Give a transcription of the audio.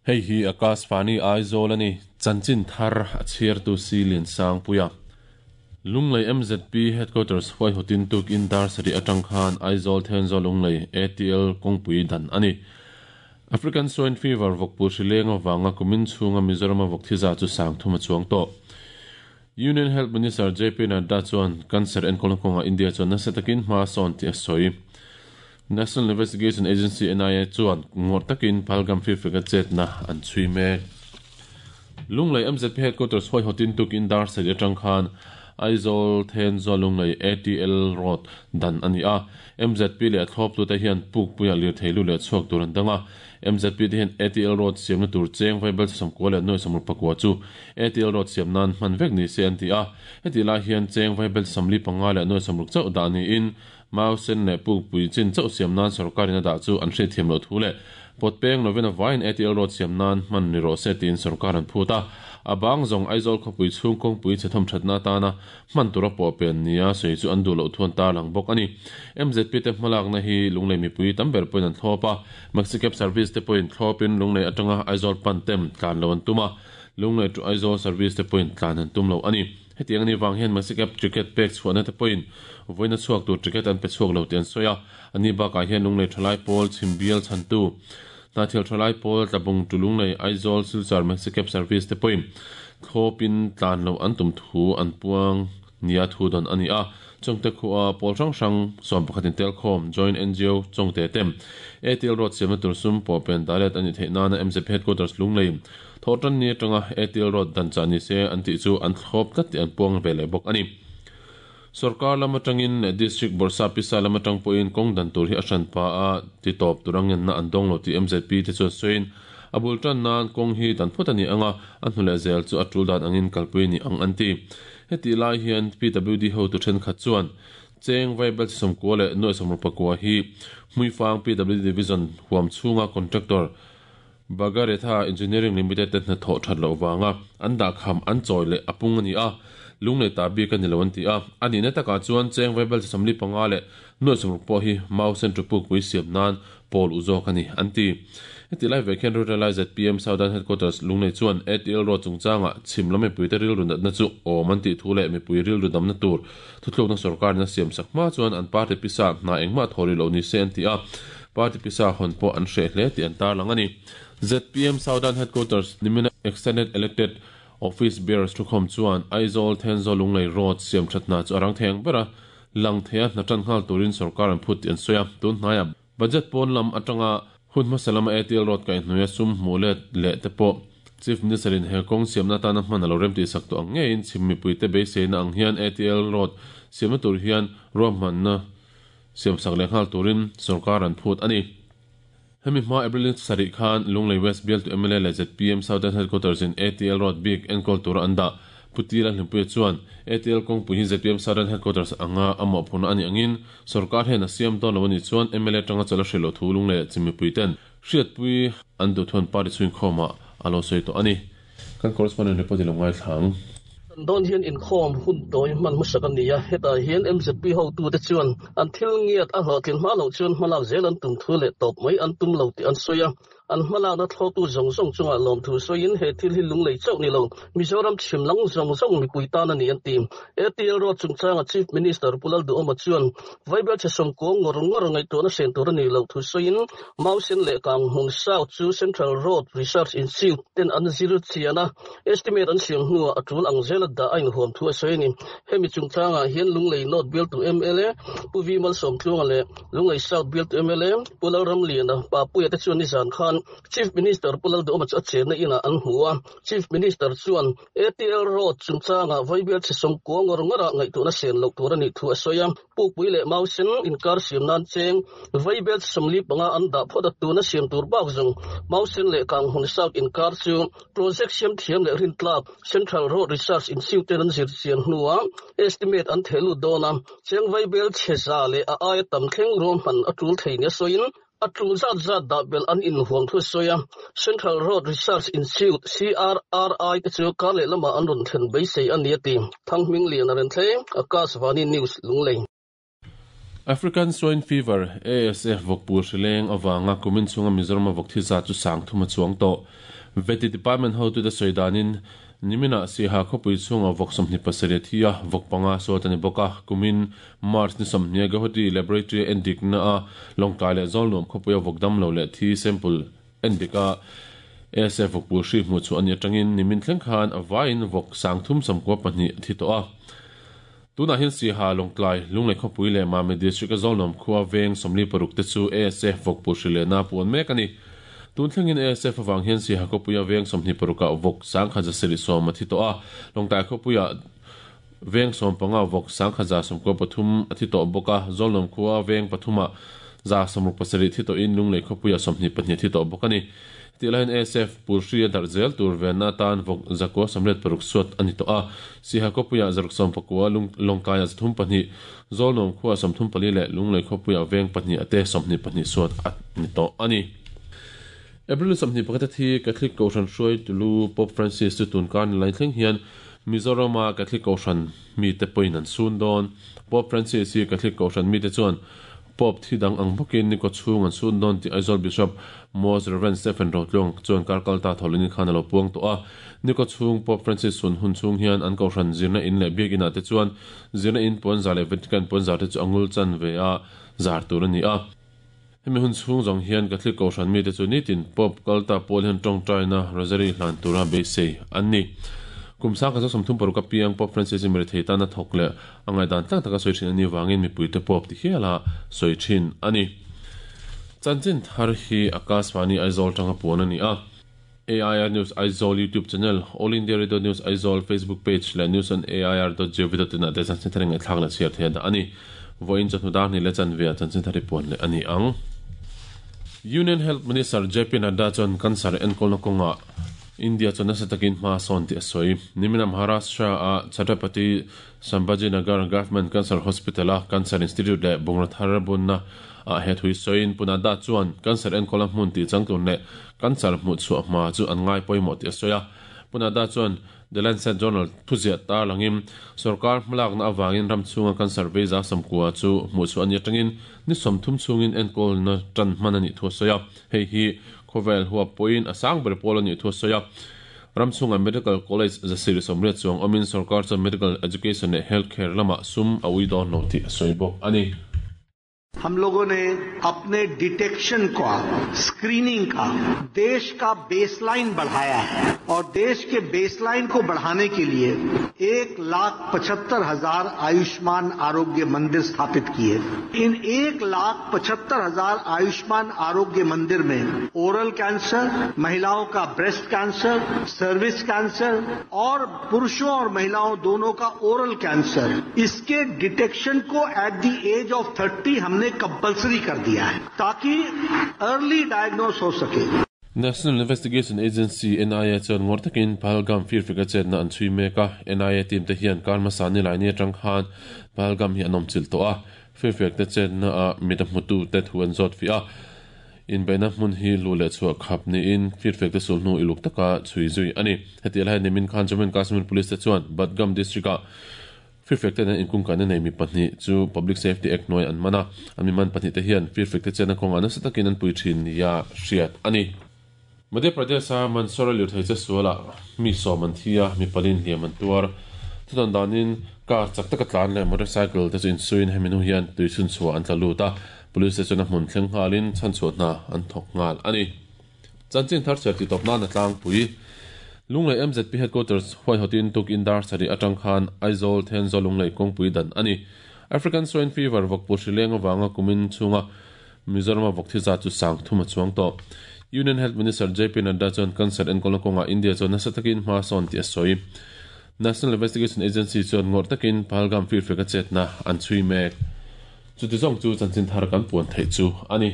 Hei hi Akashvani Aizawl a ni. Chanchin thar a chhiartu si Liansangpuia. Lunglei MZP Headquarters huaihawtin tukin dar sarih atang khan Aizawl Thenzawl Lunglei ATL kawngpui dan a ni. African Swine Fever vawkpul hrileng avanga kumin chhunga Mizorama vawk thi za chu sang thum a chuang tawh. Union Health Minister JP Nadda chuan cancer enkawlna kawngah India chuan nasa takin hma a sawn tih a sawi. National Investigation Agency, NIA, chuan ngawrh takin Pahalgam firfeka chetna an chhui mek. Lunglei MZP Headquarters huaihawtin tukin dar sarih atang khan Aizawl Thenzawl Lunglei ATL Road dan a ni a. MZP leh a thlawptute hian pukpuia lirthei lu leh chhuak tur an dang a. MZP te hian ATL Road siamna tur cheng vaibel sawmkua leh nuai sawmruk pakua chu ATL Road siam nan hman vek ni se an ti a. Hetih lai hian cheng vaibel sawmli panga leh nuai sawmruk chauh dah niin Mau sen leh pukpui chin chauh siam nan sorkarin a dah chu an hriatthiam loh thu leh pawt peng lovin a vaiin ATL Road siam nan hman ni rawh se tiin sorkar an phut a. A bang zawng Aizawl khawpui chhung kawngpui chhe thawm thatna atana hman tura pawh pen nia sawi chu an duh loh thu an tarlang bawk a ni. MZP te hmalakna hi Lunglei mipui tam ber pawhin an thlawp a, Maxicab service te pawhin thlawpin Lunglei atanga Aizawl pan tem tlan lo an tum a, Lunglei to Aizawl service te pawhin tlan an tum lo a ni. Hetiang a nih vang hian Maxicab ticket pek chhuahna te pawhin vawiina chhuak tur ticket an pe chhuak lo tih an sawi a, a ni bakah hian Lunglei thalai pawl chhimbial chhantu Hnahthial thalai pawl Tlabung to Lunglei Aizawl Silchar Maxicab service te pawhin thlawpin tlan loh an tum thu an puang nia thu dawn a ni a. Chawngte khua pawl hrang hrang 11 in telkhawm Joint ngo Chawngte te ATL Road siamna tur sum pawh pen dalet a nih theih nana MZP Headquarters Lunglei thawhtan ni atanga ATL Road dan chah ni se an tih chu an thlawp tlat tih an puang ve leh bawk a ni. Sorkar lam atangin leh District Bawrhsa pisa lam atang pawhin kawng dan tur hi a hran pa a ti tawp tur a ngenna an dawng lo tih MZP te chuan sawiin a bul tan nan kawng hi dan phawt a ni ang a, a hnu leh zel chu a tul dan angin kalpui a ni ang an ti. Hetih lai hian PWD hotu thenkhat chuan Cheng Vaibel Chisawmkua leh Nuai Sawmruk Pakua hi Hmuifang PWD Division huam chhunga contractor Bagaretha Engineering Limited te hnathawh that loh vanga an dahkham an chawi leh a pung a ni a, lunglei ta bik a ni lo an ti a. A nihna takah chuan Cheng Vaibel Chisawmli panga leh Nuai Sawmruk pawh hi Mau Centre pukpui siam nan pawl u zawk a ni, an ti. Heti lai vek hian Rural ZPM Southern Headquarters Lunglei chuan ATL Road chungchangah chhim lam mipuite rilru natna chu awm an tih thu leh mipui rilru damna tur thuthlukna sorkarin a siamsak hma chuan an party pisa hna engmah thaw rih loh ni se an ti a, party pisa hawn pawh an hreh hle tih an tarlang a ni. ZPM Southern Headquarters nimina Extended Elected Office Bearers thukhawm chuan Aizawl Thenzawl Lunglei Road siamthat hna chu a rang thei ang ber a, lang thei a hna tan nghal turin sorkar an phut tih an sawi a, tun hnaiah Budget pawn lam atanga hun hmasa lama ATL Road kaihhnuaia sum hmuh let leh te pawh Chief Minister in he kawng siamna atana hman a lo rem tihsak tawh ang ngeiin chhim mipuite beiseina ang hian ATL Road siamna tur hian ruahmanna siamsak leh nghal turin sorkar an phut a ni. Hemi hma April ni sarih khan Lunglei West bialtu mla leh zpm Southern Headquarters in ATL Road bik enkawl tura an dah. Pu Tila Hlimpuia chuan ATL kawngpui hi zpm Southern Headquarters anga a mawhphurhna a nih angin sorkar hian a siam dawn lo a nih chuan mla atanga chawlh a hrilh loh thu Lunglei leh chimmipuiten ten hriatpui an duh thuan party chhuinkhawmah a lo sawi tawh a ni. Kan correspondent report i lo ngaithla ang. Kan dawn hian inkhawm hun tawi hman hmasak a ni a, hetah hian MZP hotute chuan an thil ngiat a hlawhtlin hma loh chuan hmalak zel an tum thu leh tawp mai an tum lo tih an sawi a. An hmalakna thlawhtu zawng zawng chungah lawmthu sawiin he thil hi lunglei chauh ni lo, Mizoram chhim lang zawng zawng mipui tan a ni an ti. ATL Road chungchanga Chief Minister Pu Lalduhawma chuan Vaibel chhe sawmkua ngawr ngawr ngaihtuahna hren tur a nih loh thu sawiin Mausen leh Kanghmun South chu Central Road Research Institute ten an zir chian a, estimate an siam hnuah a tul ang zela dah a inhuam thu a sawi a ni. Hemi chungchangah hian Lunglei North bialtu mla Pu V Malsawmtluanga leh Lunglei South bialtu mla Pu Lalramliana Papuia te chuan nizan khan Chief Minister Pu Lalduhawma chu a chenna inah an hmu a, Chief Minister chuan ATL Road chungchangah vawibial chhe sawmkua ngawr ngawrah ngaihtuahna sen loh tur a nih thu a sawi a. Pukpui leh Mausen inkar siam nan cheng vaibel 45 an dah phawt a, tuna siam tur bak zawng Mausen leh Kanghmun South inkar chu project siam thiam leh rintlak Central Road Research Institute ten an zir chian hnuah estimate an theh lut dawn a, cheng vaibel chhe za leh a aia tam thleng ruahman a tul thei nia sawiin A tul zat zat dah belh an inhuam thu a sawi a, Central Road Research Institute, CRRI, te chu kar leh lamah an rawn thlen beisei a ni a ti. Thanghming Lian a rawn thleng, Akashvani News, Lunglei. African Swine Fever, ASF, vawkpul hrileng avanga kumin chhunga Mizorama vawk thi zat chu sang thum a chuang tawh. Vety Department hotute sawi danin, niminah Siaha khawpui chhungah vawk 27 a thi a, vawk panga suat a ni bawk a. Kumin March ni 20 Guwahati Laboratory a endikna a Lawngtlai leh Zawlnuam khawpuia vawk damlo leh thi sample endik a ASF vawkpul hri hmuh chhuah a nih atangin nimin thleng khan a vaiin vawk 392 a thi tawh a. Tunah hian Siaha, Lawngtlai, Lunglei khawpui leh Mami District a Zawlnuam khua veng 46 te chu ASF vawkpul hri lehna a puan mek a ni. Tun thlengin ASF avang hian Siaha khawpuia veng 26 ah vawk 1710 a thi tawh a, Lawngtlai khawpuia veng 15 vawk 1093 a thi tawh bawk a, Zawlnuam khua veng pathumah 67 thi tawhin Lunglei khawpuia 22 a thi tawh bawk a ni. Tih laiin ASF Pulhri a darh zel tur venna atan vawk 986 suat a ni tawh a, Siha khawpuiah 69, Lawngtlaiah 32, Zawlnuam khuaah 34 leh Lunglei khawpuiah veng pahnih ate 22 suat a ni tawh a ni. April 21 a thi Catholic Kohhran hruaitulu Pope Francis chu tun kar ni lai thleng hian Mizorama Catholic Kohhran mite pawhin an sun dawn. Pope Francis hi Catholic Kohhran mite chuan Pope thi dang ang bawkin ni kawchhung an sun dawn tih Aizawl Bishop Most Rev. Stephen Rotluang chuan kar kal ta thawhlin khan a lo puang tawh a. Ni kawchhung Pope Francis sun hun chhung hian an kohhran zirna in leh biak inah te chuan zirna in puanzar leh Vatican puanzar te chu a ngul chan ve a zar tur a ni a. Hemi hun chhung zawng hian Catholic kohhran mite chu nitin Pope kal ta pawl hian tawngtaina Rosary hlan tura beisei an ni. Kum 1936 a piang Pope Francis hi mirethei tana thawk leh a ngaihdan tlang taka sawi thin a nih vangin mipuite Pope ti hiala sawi thin a ni. Chanchin thar hi Akashvani Aizawl tanga puan a ni a. AIR News Aizawl YouTube channel, All India Radio News Aizawl Facebook page leh News on AIR dot gov dot in ah te chanchin thar ngaihthlak leh chhiar thei a dah a ni. Vawiin chawhnu dar hnih leh chanve ah chanchin thar hi puan leh a ni ang. Union Health Minister JP Nadda chuan cancer enkawlna kawngah India chuan nasa takin hma a sawn tih a sawi. Niminah Maharashtra ah Chhatrapati Sambhajinagar Government Cancer Hospital a Cancer Institute leh bungraw thar bunna ah he thui sawiin Pu Nadda chuan cancer enkawlna hmun tih changtlun leh Cancer hmuh chhuah hma chu an ngai pawimawh tih a sawi a. Pu Nadda chuan The Lancet Journal thuziah tarlangin sorkar hmalakna avangin ram chhunga cancer veiza 90 chu hmuh chhuah a ni atangin ni 30 chhungin enkawlna tan hman a nih thu a sawi a. Hei hi khawvel huap pawhin a sang ber pawl a nih thu a sawi a. Ram chhunga Medical College 180 chuang awmin sorkar chuan medical education leh health care lamah sum a ui dawn lo tih a sawi bawk a ni. हम लोगों ने अपने detection का screening का देश का baseline बढ़ाया है और देश के बेसलाइन को बढ़ाने के लिए 1,75,000 आयुष्मान आरोग्य मंदिर स्थापित किए। इन 1,75,000 आयुष्मान आरोग्य मंदिर में ओरल कैंसर, महिलाओं का breast cancer, service cancer और पुरुषों और महिलाओं दोनों का ओरल कैंसर, इसके डिटेक्शन को at the age of 30 हमने कंपलसरी कर दिया है ताकि अर्ली डायग्नोस हो सके। National Investigation Agency, NIA, chuan ngawr takin Pahalgam firfik a chetna an chhui mek a. NIA team te hian kar hmasa ni lai ni atang khan Pahalgam hi an awm chilh tawh a. Firfiak te chetna ah mit a hmutu te thu an zawt fih a. Inbeihna hmun hi luh leh chhuah khap niin firfiak te sulhnu iluk taka chhui zui a ni. Heti lai nimin khan Jammu and Kashmir Police te chuan Budgam District ah Firfek te nen inkungkaihna nei mi pahnih chu Public Safety Act hnuai an man a, an mi man pahnih te hian firfek te chenna kawngah nasa takin an pui thin nia hriat a ni. Madhya Pradesh-a Mandsaur-a lirthei che sualah mi 10 an thi a, mi palin hliam an tuar. Thudawn danin car chak taka tlan leh motorcycle te chu insuiin hemi hnu hian tui chhunchhuah an tla lut a, police te chuan a hmun thleng nghalin chhanchhuah hna an thawk nghal a ni. Chanchin thar chhiar tih tawp nan a tlangpui. Lunglei MZP Headquarters huaihawtin tukin dar sarih atang khan Aizawl Thenzawl Lunglei kawngpui dan a ni. African Swine Fever vawkpur hrileng avanga kumin chhunga Mizorama vawk thi zat chu 3000 a chuang tawh. Union Health Minister JP Nadda chuan cancer enkawlna kawngah India chuan nasa takin hma a sawn tih a sawi. National Investigation Agency chuan ngawrh takin Pahalgam firfek a chetna an chhui mek. Chuti zawng chu chanchin thar kan puan theih chu a ni.